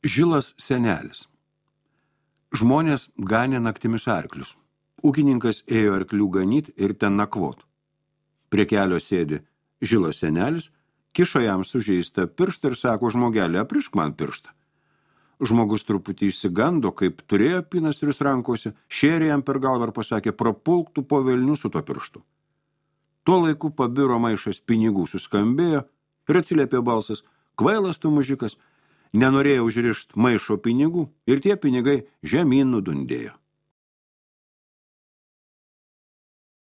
Žilas senelis. Žmonės ganė naktimis arklius. Ūkininkas ėjo arklių ganyt ir ten nakvot. Prie kelio sėdi žilas senelis, kiša jam sužeistą pirštą ir sako: žmogelį, aprišk man pirštą. Žmogus truputį išsigando, kaip turėjo pinastrius rankose, šėrė jam per galvą ir pasakė: prapulk tu po velnių su to pirštu. Tuo laiku pabiro maišas pinigų, suskambėjo ir atsiliepė balsas: kvailas tu mužikas, nenorėjo užrišt maišo pinigų ir tie pinigai žemyn nudundėjo.